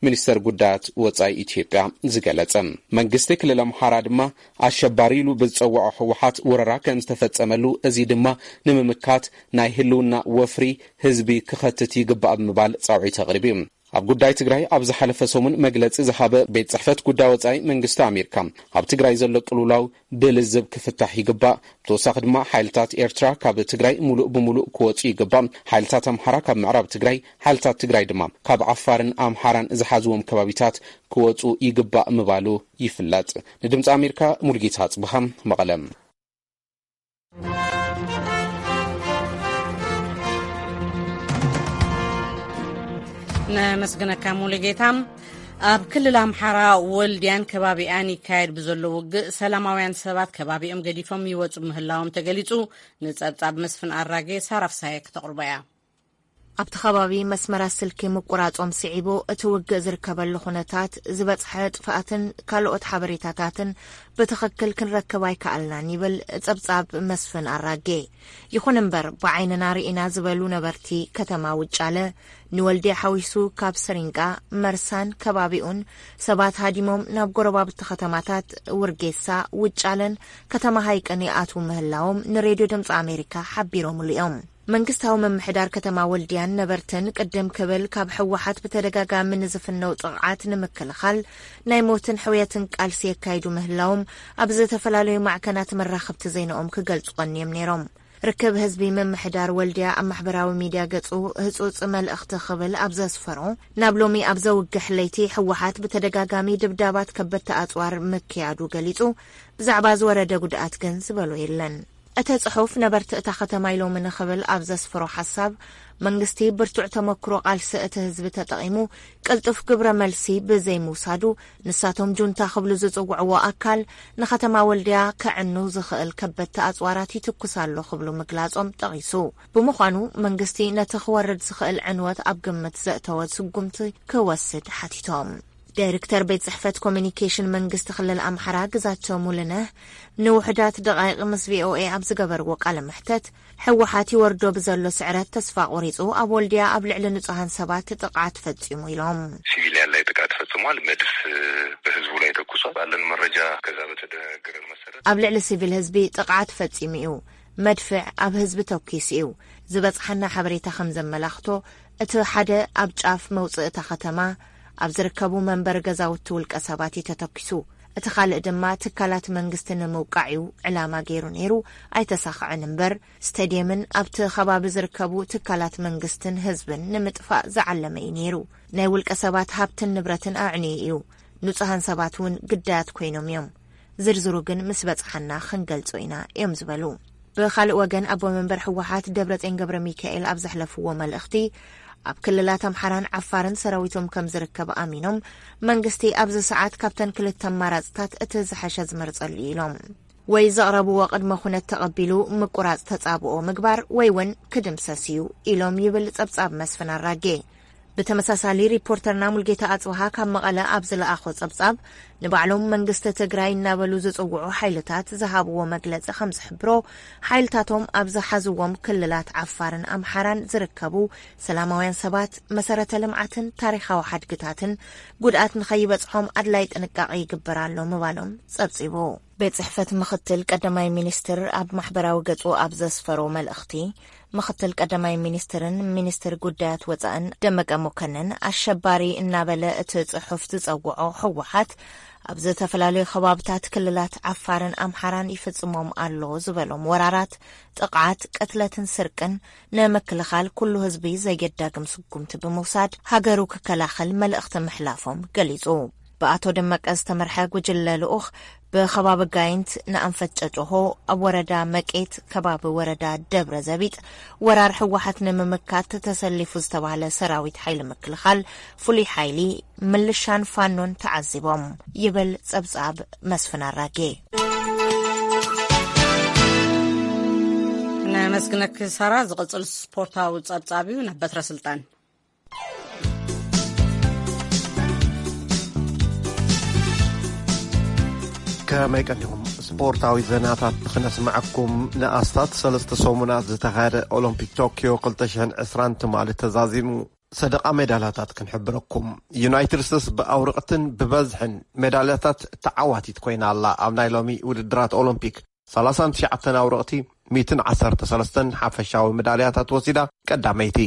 ሚኒስተር ጉዳያት ወጻኢ ኢትዮጵያ ዝገለጸ። መንግስቲ ክልል ኣምሓራ ድማ ኣሸባሪ ኢሉ ብዝጸውዖ ህወሓት ወረራ ከም ዝተፈጸመሉ፣ እዚ ድማ ንምምካት ናይ ህልውና ወፍሪ ህዝቢ ክኸትት ይግባእ ብምባል ጻውዒት ኣቕሪቡ እዩ። ኣብ ጉዳይ ትግራይ ኣብ ዝሓለፈ ሰሙን መግለጺ ዝሃበ ቤት ጽሕፈት ጉዳይ ወጻኢ መንግስቲ ኣሜሪካ፣ ኣብ ትግራይ ዘሎ ቅልውላው ብልዝብ ክፍታሕ ይግባእ። ብተወሳኺ ድማ ሓይልታት ኤርትራ ካብ ትግራይ ሙሉእ ብሙሉእ ክወጹ ይግባእ። ሓይልታት ኣምሓራ ካብ ምዕራብ ትግራይ፣ ሓይልታት ትግራይ ድማ ካብ ዓፋርን ኣምሓራን ዝሓዝዎም ከባቢታት ክወጹ ይግባእ ምባሉ ይፍለጥ። ንድምፂ ኣሜሪካ ሙልጌታ ኣጽብሃ፣ መቐለ። ነመስግነካ ሙሉጌታ። ኣብ ክልል ኣምሓራ ወልድያን ከባቢኣን ይካየድ ብዘሎ ውግእ ሰላማውያን ሰባት ከባቢኦም ገዲፎም ይወጹ ምህላዎም ተገሊጹ። ንጸብጻብ መስፍን ኣራጌ ሳራፍሳየ ክተቕርቦ እያ። ኣብቲ ከባቢ መስመራት ስልኪ ምቁራጾም ስዒቡ፣ እቲ ውግእ ዝርከበሉ ኩነታት፣ ዝበጽሐ ጥፍኣትን ካልኦት ሓበሬታታትን ብትኽክል ክንረክብ ኣይከኣልናን ይብል ጸብጻብ መስፍን ኣራጌ። ይኹን እምበር፣ ብዓይንና ርኢና ዝበሉ ነበርቲ ከተማ ውጫለ፣ ንወልድያ ሓዊሱ ካብ ሰሪንቃ፣ መርሳን ከባቢኡን ሰባት ሃዲሞም ናብ ጎረባብቲ ከተማታት ውርጌሳ፣ ውጫለን ከተማ ሃይቅን ይኣትዉ ምህላዎም ንሬድዮ ድምፂ ኣሜሪካ ሓቢሮምሉ እዮም። መንግስታዊ ምምሕዳር ከተማ ወልድያን ነበርትን ቅድም ክብል ካብ ህወሓት ብተደጋጋሚ ንዝፍነው ጥቕዓት ንምክልኻል ናይ ሞትን ሕውየትን ቃልሲ የካይዱ ምህላዎም ኣብ ዝተፈላለዩ ማዕከናት መራኸብቲ ዜናኦም ክገልጹ ቀንዮም ነይሮም። ርክብ ህዝቢ ምምሕዳር ወልድያ ኣብ ማሕበራዊ ሚድያ ገጹ ህጹጽ መልእኽቲ ክብል ኣብ ዘስፈሮ፣ ናብ ሎሚ ኣብ ዘውግሕ ለይቲ ህወሓት ብተደጋጋሚ ድብዳባት ከበድቲ ኣጽዋር ምክያዱ ገሊጹ፣ ብዛዕባ ዝወረደ ጉድኣት ግን ዝበሎ የለን። እቲ ጽሑፍ ነበርቲ እታ ከተማ ኢሎምኒ ክብል ኣብ ዘስፍሮ ሓሳብ፣ መንግስቲ ብርቱዕ ተመክሮ ቃልሲ እቲ ህዝቢ ተጠቒሙ ቅልጡፍ ግብረ መልሲ ብዘይምውሳዱ፣ ንሳቶም ጁንታ ክብሉ ዝጽውዕዎ ኣካል ንከተማ ወልድያ ከዕኑ ዝኽእል ከበድቲ ኣጽዋራት ይትኩስ ኣሎ ክብሉ ምግላጾም ጠቒሱ። ብምዃኑ መንግስቲ ነቲ ክወርድ ዝኽእል ዕንወት ኣብ ግምት ዘእተወ ስጉምቲ ክወስድ ሓቲቶም። ዳይሬክተር ቤት ጽሕፈት ኮሚኒኬሽን መንግስቲ ክልል ኣምሓራ ግዛቸው ሙሉነህ ንውሑዳት ደቓይቕ ምስ ቪኦኤ ኣብ ዝገበርዎ ቃለ መሕተት፣ ህወሓት ይወርዶ ብዘሎ ስዕረት ተስፋ ቆሪጹ ኣብ ወልድያ ኣብ ልዕሊ ንጹሃን ሰባት ጥቕዓት ፈጺሙ ኢሎም። ሲቪሊያን ላይ ጥቃት ፈጽሟል። መድፍ በህዝቡ ላይ ተኩሷል። ባለን መረጃ ከዛ በተደነገረን መሰረት ኣብ ልዕሊ ሲቪል ህዝቢ ጥቕዓት ፈጺሙ እዩ። መድፍዕ ኣብ ህዝቢ ተኲሱ እዩ። ዝበጽሓና ሓበሬታ ከም ዘመላኽቶ፣ እቲ ሓደ ኣብ ጫፍ መውጽእ እታ ከተማ ኣብ ዝርከቡ መንበሪ ገዛውቲ ውልቀ ሰባት እዩ ተተኲሱ። እቲ ካልእ ድማ ትካላት መንግስቲ ንምውቃዕ እዩ ዕላማ ገይሩ ነይሩ። ኣይተሳኽዐን እምበር፣ ስቴድየምን ኣብቲ ከባቢ ዝርከቡ ትካላት መንግስትን ህዝብን ንምጥፋእ ዝዓለመ እዩ ነይሩ። ናይ ውልቀ ሰባት ሃብትን ንብረትን ኣዕንዩ እዩ። ንጹሃን ሰባት እውን ግዳያት ኮይኖም እዮም። ዝርዝሩ ግን ምስ በጽሓና ክንገልጾ ኢና እዮም ዝበሉ። ብኻልእ ወገን፣ ኣቦ መንበር ህወሓት ደብረጽዮን ገብረ ሚካኤል ኣብ ዘሕለፍዎ መልእኽቲ፣ ኣብ ክልላት ኣምሓራን ዓፋርን ሰራዊቶም ከም ዝርከብ ኣሚኖም፣ መንግስቲ ኣብዚ ሰዓት ካብተን ክልተ ኣማራጽታት እቲ ዝሐሸ ዝመርጸሉ እዩ ኢሎም። ወይ ዘቕረብዎ ቅድመ ኩነት ተቐቢሉ ምቁራጽ ተጻብኦ ምግባር ወይ እውን ክድምሰስ እዩ ኢሎም ይብል ጸብጻብ መስፍን ኣራጌ። ብተመሳሳሊ ሪፖርተርና ሙልጌታ ኣጽብሃ ካብ መቐለ ኣብ ዝለኣኾ ጸብጻብ፣ ንባዕሎም መንግስቲ ትግራይ እናበሉ ዝጽውዑ ሓይልታት ዝሃብዎ መግለጺ ከም ዝሕብሮ፣ ሓይልታቶም ኣብ ዝሓዝዎም ክልላት ዓፋርን ኣምሓራን ዝርከቡ ሰላማውያን ሰባት፣ መሰረተ ልምዓትን ታሪኻዊ ሓድግታትን ጉድኣት ንኸይበጽሖም ኣድላይ ጥንቃቄ ይግበር ኣሎ ምባሎም ጸብጺቡ። ቤት ጽሕፈት ምኽትል ቀዳማይ ሚኒስትር ኣብ ማሕበራዊ ገጹ ኣብ ዘስፈሮ መልእኽቲ፣ ምኽትል ቀዳማይ ሚኒስትርን ሚኒስትር ጉዳያት ወጻእን ደመቀ መኮንን፣ ኣሸባሪ እናበለ እቲ ጽሑፍ ዝጸውዖ ህወሓት፣ ኣብ ዝተፈላለዩ ከባብታት ክልላት ዓፋርን ኣምሓራን ይፍጽሞም ኣሎ ዝበሎም ወራራት፣ ጥቕዓት፣ ቅትለትን ስርቅን ንምክልኻል ኩሉ ህዝቢ ዘየዳግም ስጉምቲ ብምውሳድ ሃገሩ ክከላኸል መልእኽቲ ምሕላፎም ገሊጹ። ብኣቶ ደመቀ ዝተመርሐ ጉጅለ ልኡኽ፣ ብከባቢ ጋይንት ንኣንፈት ጨጨሆ፣ ኣብ ወረዳ መቄት ከባቢ ወረዳ ደብረ ዘቢጥ፣ ወራር ህወሓት ንምምካት ተሰሊፉ ዝተባህለ ሰራዊት ሓይሊ ምክልኻል፣ ፍሉይ ሓይሊ፣ ምልሻን ፋኖን ተዓዚቦም ይብል ጸብጻብ መስፍን ኣራጌ። ነመስግነኪ ሳራ። ዝቕጽል ስፖርታዊ ጸብጻብ እዩ። ናብ በትረ ስልጣን። ከመይ ቀኒኹም? ስፖርታዊ ዜናታት ክነስምዐኩም። ንኣስታት ሰለስተ ሰሙናት ዝተኻየደ ኦሎምፒክ ቶክዮ ክልተ ሽሕን ዕስራን ትማሊ ተዛዚሙ። ሰደቓ ሜዳልያታት ክንሕብረኩም። ዩናይትድ ስቴትስ ብኣውርቕትን ብበዝሕን ሜዳልያታት ተዓዋቲት ኮይና ኣላ። ኣብ ናይ ሎሚ ውድድራት ኦሎምፒክ፣ ሰላሳን ትሽዓተን ኣውርቕቲ፣ ሚእትን ዓሰርተ ሰለስተን ሓፈሻዊ ሜዳልያታት ወሲዳ ቀዳመይቲ።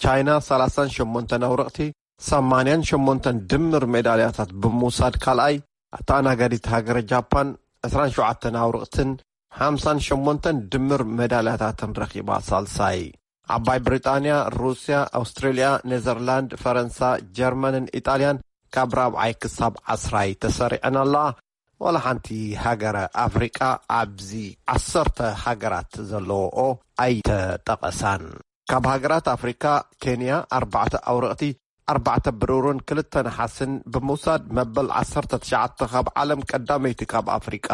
ቻይና ሰላሳን ሸሞንተን ኣውርቕቲ፣ ሰማንያን ሸሞንተን ድምር ሜዳልያታት ብምውሳድ ካልኣይ፣ ኣተኣናጋዲት ሃገረ ጃፓን ዕስራን ሸውዓተን ኣውርቕትን ሓምሳን ሸሞንተን ድምር ሜዳልያታትን ረኺባ ሳልሳይ። ዓባይ ብሪጣንያ፣ ሩስያ፣ ኣውስትሬልያ፣ ኔዘርላንድ፣ ፈረንሳ፣ ጀርመንን ኢጣልያን ካብ ራብዓይ ክሳብ ዓስራይ ተሰሪዐን ኣለዋ። ዋላ ሓንቲ ሃገረ ኣፍሪቃ ኣብዚ ዓሰርተ ሃገራት ዘለዎኦ ኣይተጠቐሳን። ካብ ሃገራት ኣፍሪካ፣ ኬንያ ኣርባዕተ ኣውርቕቲ፣ ኣርባዕተ ብሩርን ክልተ ነሓስን ብምውሳድ መበል ዓሰርተ ትሽዓተ ካብ ዓለም ቀዳመይቲ፣ ካብ ኣፍሪቃ።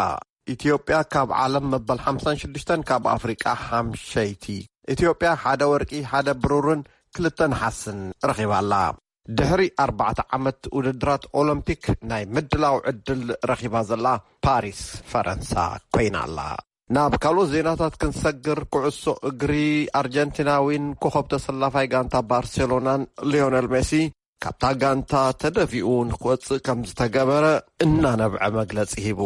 ኢትዮጵያ ካብ ዓለም መበል ሓምሳን ሽዱሽተን፣ ካብ ኣፍሪቃ ሓምሸይቲ። ኢትዮጵያ ሓደ ወርቂ፣ ሓደ ብሩርን ክልተ ነሓስን ረኺባ ኣላ። ድሕሪ ኣርባዕተ ዓመት ውድድራት ኦሎምፒክ ናይ ምድላው ዕድል ረኺባ ዘላ ፓሪስ ፈረንሳ ኮይና ኣላ። ናብ ካልኦት ዜናታት ክንሰግር፣ ኩዕሶ እግሪ፣ ኣርጀንቲናዊን ኮኸብ ተሰላፋይ ጋንታ ባርሴሎናን ሊዮነል ሜሲ ካብታ ጋንታ ተደፊኡ ንክወጽእ ከም ዝተገበረ እናነብዐ መግለጺ ሂቡ።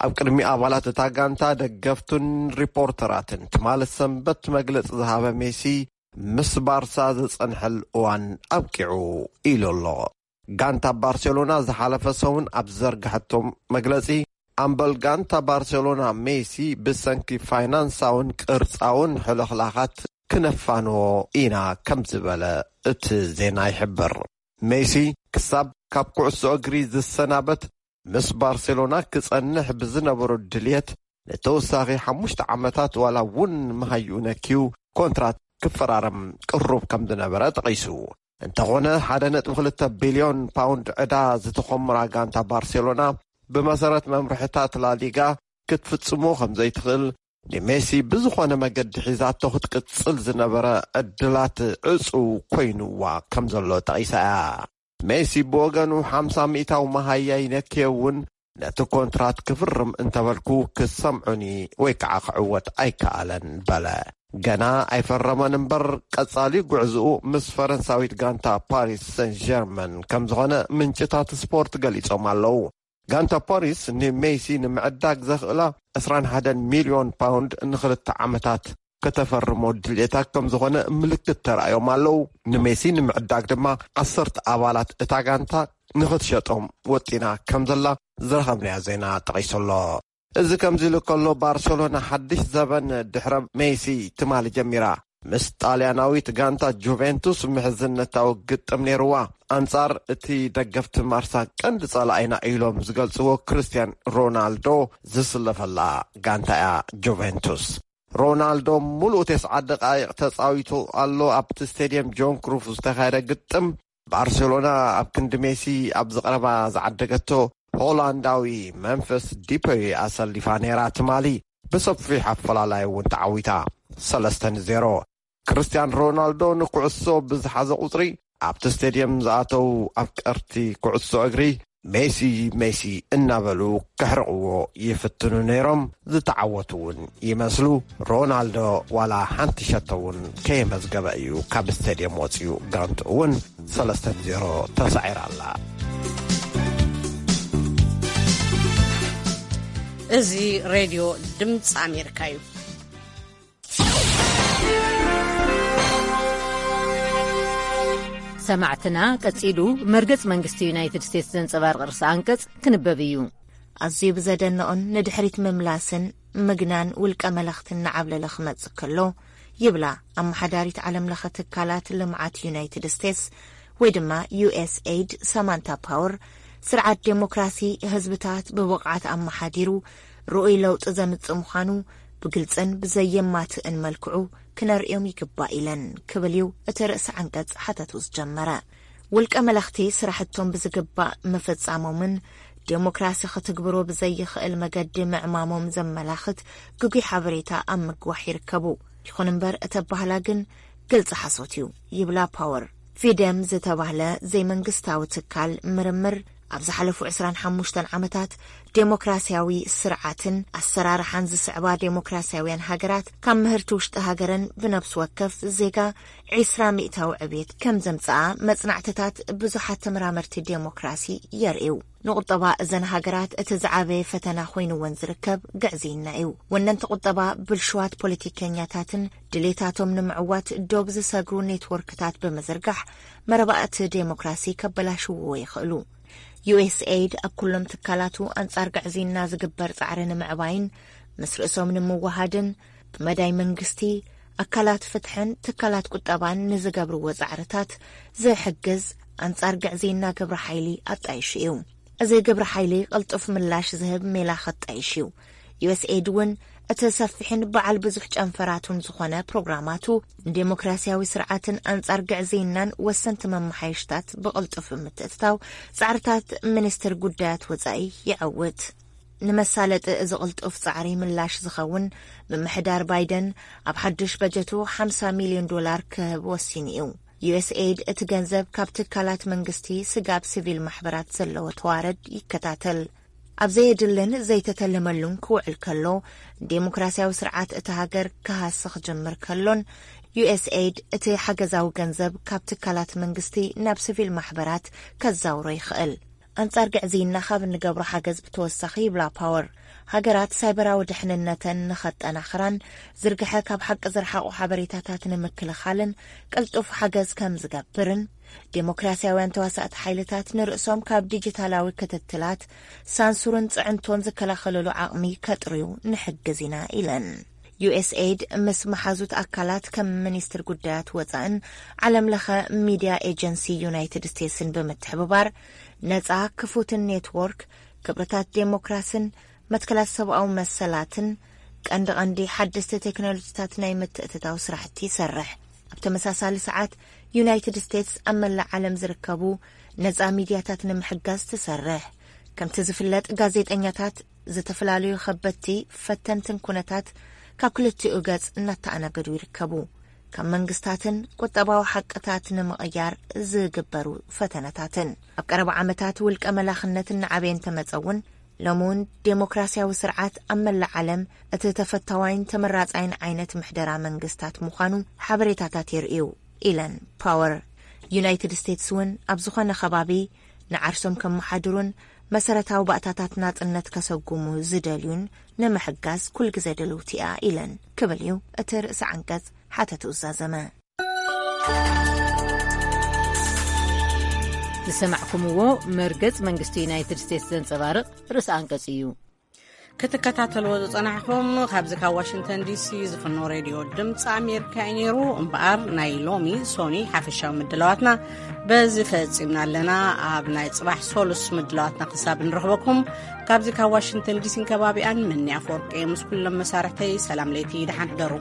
ኣብ ቅድሚ ኣባላት እታ ጋንታ፣ ደገፍቱን ሪፖርተራትን ትማሊ ሰንበት መግለጺ ዝሃበ ሜሲ፣ ምስ ባርሳ ዝጸንሐል እዋን ኣብቂዑ ኢሉ ኣሎ። ጋንታ ባርሴሎና ዝሓለፈ ሰሙን ኣብ ዘርግሐቶም መግለጺ፣ ኣምበል ጋንታ ባርሴሎና ሜሲ ብሰንኪ ፋይናንሳውን ቅርጻውን ሕልኽላኻት ክነፋንዎ ኢና ከም ዝበለ እቲ ዜና ይሕብር። ሜሲ ክሳብ ካብ ኩዕሶ እግሪ ዝሰናበት፣ ምስ ባርሴሎና ክጸንሕ ብዝነበሮ ድልየት፣ ንተወሳኺ ሓሙሽተ ዓመታት ዋላ እውን መሃይኡ ነክዩ ኮንትራት ክፈራረም ቅሩብ ከም ዝነበረ ጠቒሱ። እንተኾነ፣ ሓደ ነጥቢ ክልተ ቢልዮን ፓውንድ ዕዳ ዝተኾምራ ጋንታ ባርሴሎና፣ ብመሰረት መምርሕታት ላሊጋ ክትፍጽሞ ከም ዘይትኽእል፣ ንሜሲ ብዝኾነ መገዲ ሒዛቶ ክትቅጽል ዝነበረ ዕድላት ዕጹው ኮይኑዋ ከም ዘሎ ጠቒሳ እያ። ሜሲ ብወገኑ፣ ሓምሳ ሚእታዊ መሃያ ይነክየ እውን ነቲ ኮንትራት ክፍርም እንተበልኩ ክሰምዑኒ ወይ ከዓ ክዕወት ኣይከኣለን በለ። ገና ኣይፈረመን እምበር፣ ቀጻሊ ጉዕዝኡ ምስ ፈረንሳዊት ጋንታ ፓሪስ ሰን ጀርመን ከም ዝኾነ ምንጭታት ስፖርት ገሊጾም ኣለዉ። ጋንታ ፓሪስ ንሜሲ ንምዕዳግ ዘኽእላ ዕስራን ሓደን ሚልዮን ፓውንድ ንኽልተ ዓመታት ከተፈርሞ ድልየታ ከም ዝኾነ ምልክት ተራእዮም ኣለዉ። ንሜሲ ንምዕዳግ ድማ ዓሰርተ ኣባላት እታ ጋንታ ንኽትሸጦም ወጢና ከም ዘላ ዝረኸብናዮ ዜና ጠቒሱ ኣሎ። እዚ ከምዚ ኢሉ ከሎ፣ ባርሴሎና ሓድሽ ዘበን ድሕረ ሜሲ ትማሊ ጀሚራ። ምስ ጣልያናዊት ጋንታ ጁቬንቱስ ምሕዝነታዊ ግጥም ነይርዋ። ኣንጻር እቲ ደገፍቲ ማርሳ ቀንዲ ጸላኢና ኢሎም ዝገልጽዎ ክርስቲያን ሮናልዶ ዝስለፈላ ጋንታ እያ ጁቬንቱስ። ሮናልዶ ሙሉእ ተስዓ ደቃይቕ ተጻዊቱ ኣሎ። ኣብቲ ስቴድየም ጆን ክሩፍ ዝተኻየደ ግጥም፣ ባርሴሎና ኣብ ክንዲ ሜሲ ኣብ ዝቐረባ ዝዓደገቶ ሆላንዳዊ መንፈስ ዲፐይ ኣሰሊፋ ነይራ። ትማሊ ብሰፊሕ ኣፈላላይ እውን ተዓዊታ፣ ሰለስተ ንዜሮ። ክርስቲያን ሮናልዶ ንኩዕሶ ብዝሓዘ ቁጽሪ፣ ኣብቲ ስቴድየም ዝኣተው ኣፍቀርቲ ኩዕሶ እግሪ፣ "ሜሲ፣ ሜሲ" እናበሉ ከሕርቕዎ ይፍትኑ ነይሮም። ዝተዓወቱ እውን ይመስሉ። ሮናልዶ ዋላ ሓንቲ ሸቶ እውን ከየመዝገበ እዩ ካብ ስቴድየም ወፂኡ። ጋንቱ እውን ሰለስተ ንዜሮ ተሳዒራ ኣላ። እዚ ሬድዮ ድምፂ ኣሜሪካ እዩ። ሰማዕትና፣ ቀጺሉ መርገጽ መንግስቲ ዩናይትድ ስቴትስ ዘንጸባርቕ ርእሰ ኣንቀጽ ክንበብ እዩ። ኣዝዩ ብዘደንቕን ንድሕሪት ምምላስን ምግናን ውልቀ መለኽትን እናዓብለለ ክመጽእ ከሎ፣ ይብላ ኣመሓዳሪት ዓለም ለኸ ትካላት ልምዓት ዩናይትድ ስቴትስ፣ ወይ ድማ ዩ ኤስ ኤይድ፣ ሳማንታ ፓወር፣ ስርዓት ዴሞክራሲ ህዝብታት ብብቕዓት ኣመሓዲሩ ርኡይ ለውጢ ዘምጽእ ምዃኑ ብግልጽን ብዘየማትእን መልክዑ ክነርእዮም ይግባእ ኢለን ክብል እዩ እቲ ርእሰ ዓንቀጽ ሓተቱ ዝጀመረ። ውልቀ መለኽቲ ስራሕቶም ብዝግባእ ምፍጻሞምን ዴሞክራሲ ክትግብሮ ብዘይኽእል መገዲ ምዕማሞም ዘመላኽት ግጉይ ሓበሬታ ኣብ ምግዋሕ ይርከቡ። ይኹን እምበር እተባህላ ግን ግልጺ ሓሶት እዩ ይብላ ፓወር። ፊደም ዝተባህለ ዘይመንግስታዊ ትካል ምርምር ኣብ ዝሓለፉ ዕስራን ሓሙሽተን ዓመታት ዴሞክራሲያዊ ስርዓትን ኣሰራርሓን ዝስዕባ ዴሞክራሲያውያን ሃገራት ካብ ምህርቲ ውሽጢ ሃገረን ብነብሲ ወከፍ ዜጋ ዒስራ ሚእታዊ ዕብየት ከም ዘምጽኣ መጽናዕትታት ብዙሓት ተመራመርቲ ዴሞክራሲ የርእዩ። ንቁጠባ እዘን ሃገራት እቲ ዝዓበየ ፈተና ኮይንወን ዝርከብ ግዕዝይና እዩ። ወነንቲ ቁጠባ ብልሽዋት ፖለቲከኛታትን ድሌታቶም ንምዕዋት ዶብ ዝሰግሩ ኔትወርክታት ብምዝርጋሕ መረባእቲ ዴሞክራሲ ከበላሽውዎ ይኽእሉ። ዩ ኤስ ኤይድ ኣብ ኩሎም ትካላቱ ኣንጻር ግዕዝይና ዝግበር ጻዕሪ ንምዕባይን ምስ ርእሶም ንምውሃድን ብመዳይ መንግስቲ፣ ኣካላት ፍትሕን ትካላት ቁጠባን ንዝገብርዎ ጻዕርታት ዝሕግዝ ኣንጻር ግዕዝይና ግብረ ሓይሊ ኣጣይሹ እዩ። እዚ ግብረ ሓይሊ ቅልጡፍ ምላሽ ዝህብ ሜላ ከጣይሽ እዩ። ዩ ኤስ ኤይድ እውን እቲ ሰፊሕን በዓል ብዙሕ ጨንፈራቱን ዝኾነ ፕሮግራማቱ ንዴሞክራሲያዊ ስርዓትን ኣንጻር ግዕዝይናን ወሰንቲ መመሓየሽታት ብቕልጡፍ ብምትእትታው ጻዕርታት ሚኒስትር ጉዳያት ወጻኢ ይዐውት። ንመሳለጢ እዚ ቅልጡፍ ጻዕሪ ምላሽ ዝኸውን ምምሕዳር ባይደን ኣብ ሓዱሽ በጀቱ ሓምሳ ሚልዮን ዶላር ክህብ ወሲኑ እዩ። ዩ ኤስ ኤይድ እቲ ገንዘብ ካብ ትካላት መንግስቲ ስጋብ ሲቪል ማሕበራት ዘለዎ ተዋረድ ይከታተል። ኣብ ዘየድልን ዘይተተለመሉን ክውዕል ከሎ፣ ዴሞክራሲያዊ ስርዓት እቲ ሃገር ክሃሲ ክጅምር ከሎን ዩ ኤስ ኤይድ እቲ ሓገዛዊ ገንዘብ ካብ ትካላት መንግስቲ ናብ ሲቪል ማሕበራት ከዛውሮ ይኽእል። ኣንጻር ግዕዝይና ካብ እንገብሮ ሓገዝ ብተወሳኺ ይብላ ፓወር፣ ሃገራት ሳይበራዊ ድሕንነተን ንኸጠናኽራን ዝርግሐ ካብ ሓቂ ዝረሓቑ ሓበሬታታት ንምክልኻልን ቅልጡፍ ሓገዝ ከም ዝገብርን ዴሞክራሲያውያን ተዋሳእቲ ሓይልታት ንርእሶም ካብ ዲጂታላዊ ክትትላት፣ ሳንሱርን ጽዕንቶን ዝከላኸለሉ ዓቕሚ ከጥርዩ ንሕግዝ ኢና ኢለን። ዩ ኤስ ኤይድ ምስ መሓዙት ኣካላት ከም ሚኒስትር ጉዳያት ወጻእን ዓለም ለኸ ሚድያ ኤጀንሲ ዩናይትድ ስቴትስን ብምትሕብባር ነጻ ክፉትን ኔትወርክ ክብርታት ዴሞክራስን መትከላት ሰብኣዊ መሰላትን ቀንዲ ቀንዲ ሓደስቲ ቴክኖሎጂታት ናይ ምትእትታው ስራሕቲ ይሰርሕ። ኣብ ተመሳሳሊ ሰዓት ዩናይትድ ስቴትስ ኣብ መላእ ዓለም ዝርከቡ ነጻ ሚድያታት ንምሕጋዝ ትሰርሕ። ከምቲ ዝፍለጥ ጋዜጠኛታት ዝተፈላለዩ ከበድቲ ፈተንትን ኩነታት ካብ ክልቲኡ ገጽ እናተኣናገዱ ይርከቡ። ካብ መንግስታትን ቁጠባዊ ሓቅታት ንምቕያር ዝግበሩ ፈተነታትን። ኣብ ቀረባ ዓመታት ውልቀ መላኽነት እናዓበየ እንተመጸ እውን፣ ሎሚ እውን ዴሞክራሲያዊ ስርዓት ኣብ መላእ ዓለም እቲ ተፈታዋይን ተመራጻይን ዓይነት ምሕደራ መንግስታት ምዃኑ ሓበሬታታት የርእዩ ኢለን ፓወር። ዩናይትድ ስቴትስ እውን ኣብ ዝኾነ ከባቢ ንዓርሶም ከመሓድሩን መሰረታዊ ባእታታት ናጽነት ከሰጉሙ ዝደልዩን ንምሕጋዝ ኩሉ ግዜ ድልውቲ እያ ኢለን ክብል እዩ እቲ ርእሰ ዓንቀጽ ሓተቱ ዝዛዘመ። ዝሰማዕኩምዎ መርገጽ መንግስቲ ዩናይትድ ስቴትስ ዘንጸባርቕ ርእሰ ኣንቀጽ እዩ። ክትከታተልዎ ዝጸናሕኩም ካብዚ ካብ ዋሽንግተን ዲሲ ዝፍኖ ሬድዮ ድምፂ ኣሜሪካ እዩ ነይሩ። እምበኣር ናይ ሎሚ ሶኒ ሓፈሻዊ ምድላዋትና በዚ ፈጺምና ኣለና። ኣብ ናይ ጽባሕ ሶሉስ ምድላዋትና ክሳብ ንረኽበኩም ካብዚ ካብ ዋሽንግተን ዲሲን ከባቢኣን ምንያ ኣፈወርቂ ምስ ኩሎም መሳርሕተይ ሰላም ለይቲ፣ ደሓን ሕደሩ።